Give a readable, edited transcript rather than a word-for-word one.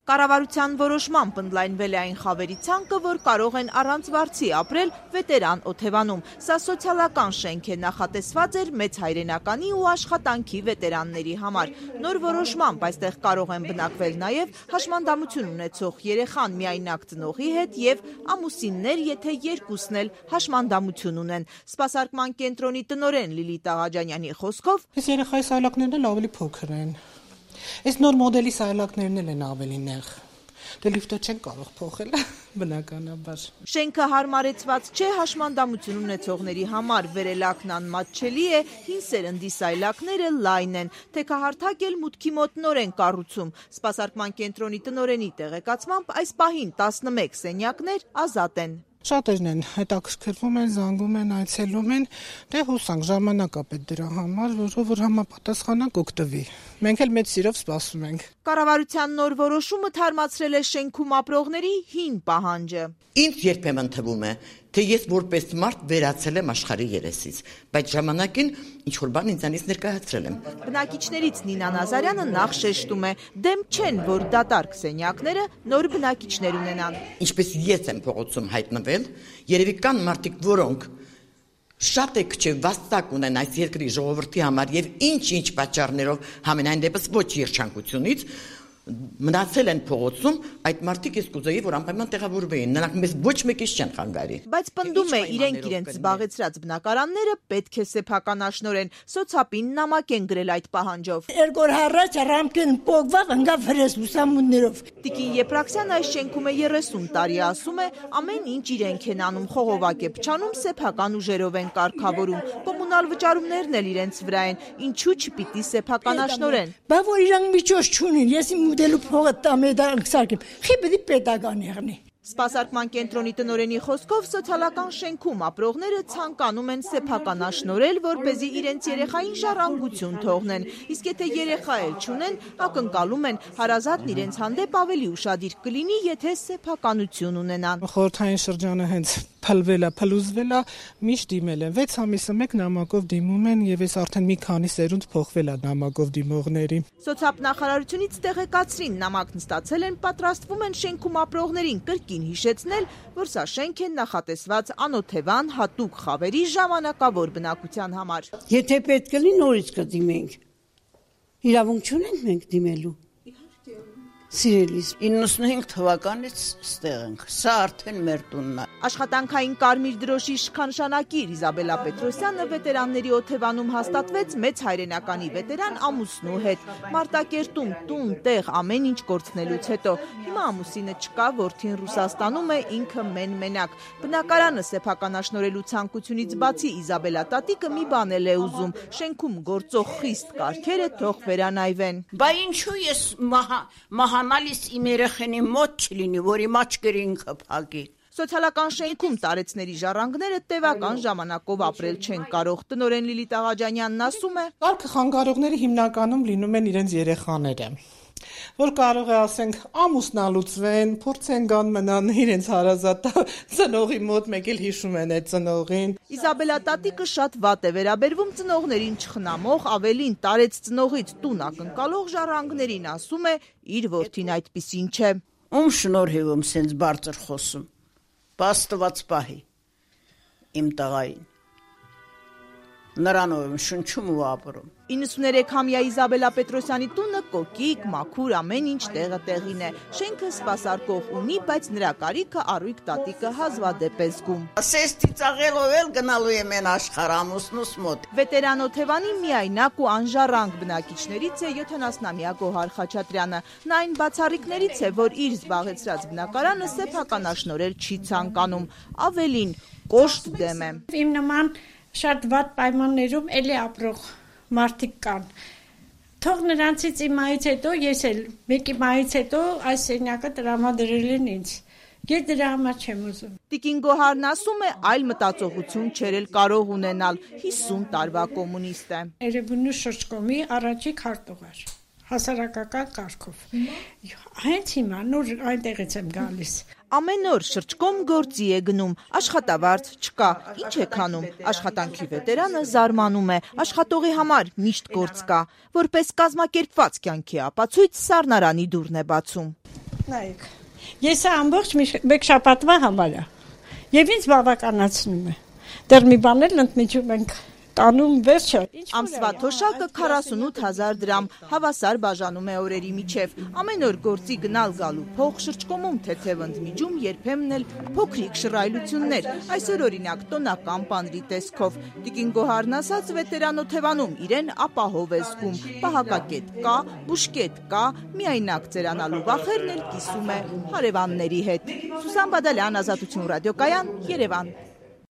Կառավարության որոշմամբ ընդլայնվել է այն խավերի ցանկը, որ կարող են առանց վարձի ապրել վետերան Օթևանում։ Սա սոցիալական շենք է, նախատեսված էր մեծ հայրենականի ու աշխատանքի վետերանների համար։ Նոր որոշմամբ այստեղ կարող են բնակվել նաև հաշմանդամություն ունեցող երեխան միայնակ ծնողի հետ եւ ամուսիններ, եթե երկուսն էլ հաշմանդամություն ունեն։ Սպասարկման կենտրոնի տնօրեն Լիլիթ Աղաջանյանի խոսքով, այս երեխայի սայլակներն էլ ավելի փոքր են։ Այս նոր մոդելի սայլակներն էլ են ավելի նեղ։ Դե լիֆտը չեն կարող փոխել, բնականաբար։ Շենքը հարմարեցված չէ հաշմանդամություն ունեցողների համար, վերելակն անմատչելի է, հին սերնդի սայլակները լայն են, թեքահարթակ էլ մուտքի մոտ նոր են կառուցում։ Սպասարկման կենտրոնի տնօրենի տեղեկացմամբ այս պահին 11 սենյակներ ազատ են։ Շատերն են հետաքրքրվում են, զանգում են, այցելում են, դե հուսանք ժամանակ է պետք դրա համար, որ համապատասխանանք օգտվի։ Մենք էլ մեծ սիրով սպասում ենք։ Կառավարության նոր որոշումը թարմացրել է շենքում ապրողների հին պահանջը։ Ինձ երբեմն թվում է, թե ես որպես մարդ վերացել եմ աշխարհի երեսից, բայց ժամանակին ինչ-որ բան ինձանից ներկայացրել եմ։ Բնակիչներից Նինա Նազարյանը նախ շեշտում է, դեմ չեն, որ դատարկ սենյակները նոր բնակիչներ ունենան։ Ինչպես ես եմ փողոցում հայտնվել, երևի կան մարդիկ, որոնք շատ է քչե վաստակ ունեն այս երկրի ժողովրդի համար եւ ինչ-ինչ պատճառներով համենայն դեպս ոչ երջանկությունից մնացել են փողոցում, այդ մարդիկ ես կուզեի, որ անպայման տեղավորվեին, նրանք մեզ ոչ մեկից չեն խանգարի։ Բայց պնդում է, իրենք զբաղեցրած բնակարանները պետք է սեփականաշնորեն, սոցապին նամակ են գրել այդ պահանջով։ Երկու հառաչ ռամկեն փողվավ ընկա ֆրես լուսամուններով։ Տիկին Եփրաքսյանը այս շենքում է 30 տարի, ասում է, ամեն ինչ իրենք են անում, խողովակ է փչանում, սեփական ուժերով են կարգավորում, կոմունալ վճարումներն էլ իրենց վրա են, ինչու չպիտի սեփականաշնորեն։ Բա որ իրանք միջոց չունեն, ես դելու փողը տամեդան սարքեմ, խիբդի պետական եղնի։ Սպասարկման կենտրոնի տնօրենի խոսքով սոցիալական շենքում ապրողները ցանկանում են սեփականաշնորել, որպեսզի իրենց երեխային ժառանգություն թողնեն, իսկ եթե երեխա էլ չունեն, ակնկալում են հարազատն իրենց հանդեպ ավելի ուշադիր կլինի, եթե սեփականություն ունենան։ Խորհրդային շրջանը հենց փլուզվել է, միշտ դիմել են 6 ամիսը մեկ նամակով դիմում են եւ այս արդեն մի քանի սերունդ փոխվել է նամակով դիմողների։ Սոցիալ նախարարությունից տեղեկացրին, նամակն ստացել են, պատրաստվում են շենքում ապրողներին կրկին հիշեցնել, որ սա շենք է նախատեսված անօթևան հատուկ խավերի ժամանակավոր բնակության համար։ Եթե պետք է լինի նորից կդիմենք։ Իրավունք չունենք մենք դիմելու։ Սիրելիս 95 թվականից ստեղ ենք, սա արդեն մեր տունն է։ Աշխատանքային կարմիր դրոշի իշխանշանակիր Իզաբելա Պետրոսյանը վետերանների Օթևանում հաստատվեց մեծ հայրենականի վետերան ամուսնու հետ։ Մարտակերտում տուն, տեղ, ամեն ինչ կորցնելուց հետո հիմա ամուսինը չկա, որդին Ռուսաստանում է, ինքը մենակ։ Բնակարանը սեփականաշնորելու ցանկությունից բացի Իզաբելա տատիկը մի բան էլ է ուզում, շենքում գործող խիստ կարգերը թող վերանայվեն։ Բա ինչու ես մահանալիս իմ երեխենի մոտ չլինի, որ իմ աչքերը ինքը փակի։ Սոցիալական շենքում տարեցների ժառանգները տևական ժամանակով ապրել չեն կարող։ Տնօրեն Լիլիթ Աղաջանյանն ասում է. Կարգը խանգարողները հիմնականում լինում են իրենց երեխաները, որ կարող է ասենք ամուսնալուծվեն, փորձեն գան մնան իրենց հարազատ ծնողի մոտ, մեկ էլ հիշում են այդ ծնողին։ Իզաբելա տատիկը շատ վատ է վերաբերվում ծնողներին չխնամող, ավելին տարեց ծնողից տուն ակնկալող ժառանգներին, ասում է, իր որդին այդպիսին չէ։ Ում շնորհիվ եմ սենց բարձր խոսում։ Բաստված պահի իմ տղային։ Նրանով եմ շնչում ու ապրում։ 93-ամյա Իզաբելա Պետրոսյանի տունը կոկիկ, մաքուր, ամեն ինչ տեղը տեղին է։ Շենքը սպասարկող ունի, բայց նրա կարիքը առույգ տատիկը հազվադեպ է զգում։ Ասես ծիծաղելով էլ գնալու եմ են աշխարհ ամուսնուս մոտ։ Վետերան Օթևանի միայնակ ու անժառանգ բնակիչներից է 70-ամյա Գոհար Խաչատրյանը։ Նա այն բացառիկներից է, որ իր զբաղեցրած բնակարանը սեփականաշնորել չի ցանկանում։ Ավելին, կոշտ դեմ է։ Իմ նման շատ վատ պայմաններում էլի ապրող մարդիկ կան։ Թող նրանցից իմայից հետո ես էլ մեկի մայից հետո այս սենյակը տրամադրել են ինձ։ Ես դրա համար չեմ ուզում։ Տիկին Գոհարն ասում է, այլ մտածողություն չէր էլ կարող ունենալ, 50 տարվա կոմունիստ է։ Երևանի շրջկոմի առաջին քարտուղար, հասարակական կարգով։ Հենց հիմա նոր այնտեղից եմ գալիս։ Ամեն օր շրջկոմ գործի է գնում, աշխատավարձ չկա, ինչ է քանում, աշխատանքի վետերանը զարմանում է, աշխատողի համար միշտ գործ կա, որպես կազմակերպված կյանքի ապացույց Սառնարանի դուռն է բացում։ Նայեք, ես ամբողջ մեկ շաբաթվա համար է եւ ինձ բավականացնում է։ Դեռ մի բան էլ ընդմիջում ենք տանում վերջը։ Ամսվա թոշակը 48,000 դրամ, հավասար բաժանում է օրերի միջև։ Ամեն օր գործի գնալ գալու փող, շրջկոմում թեթև ընդմիջում, երբեմն էլ փոքրիկ շռայլություններ։ Այսօր օրինակ տոնական պանրի տեսքով։ Տիկին Գոհարն ասաց, վետերան Օթևանում իրեն ապահով է զգում։ Պահակակետ կա, բուժկետ կա, միայնակ ծերանալու վախերն էլ կիսում է հարևանների հետ։ Սուսան Բադալյան, Ազատություն ռադիոկայան, Երևան։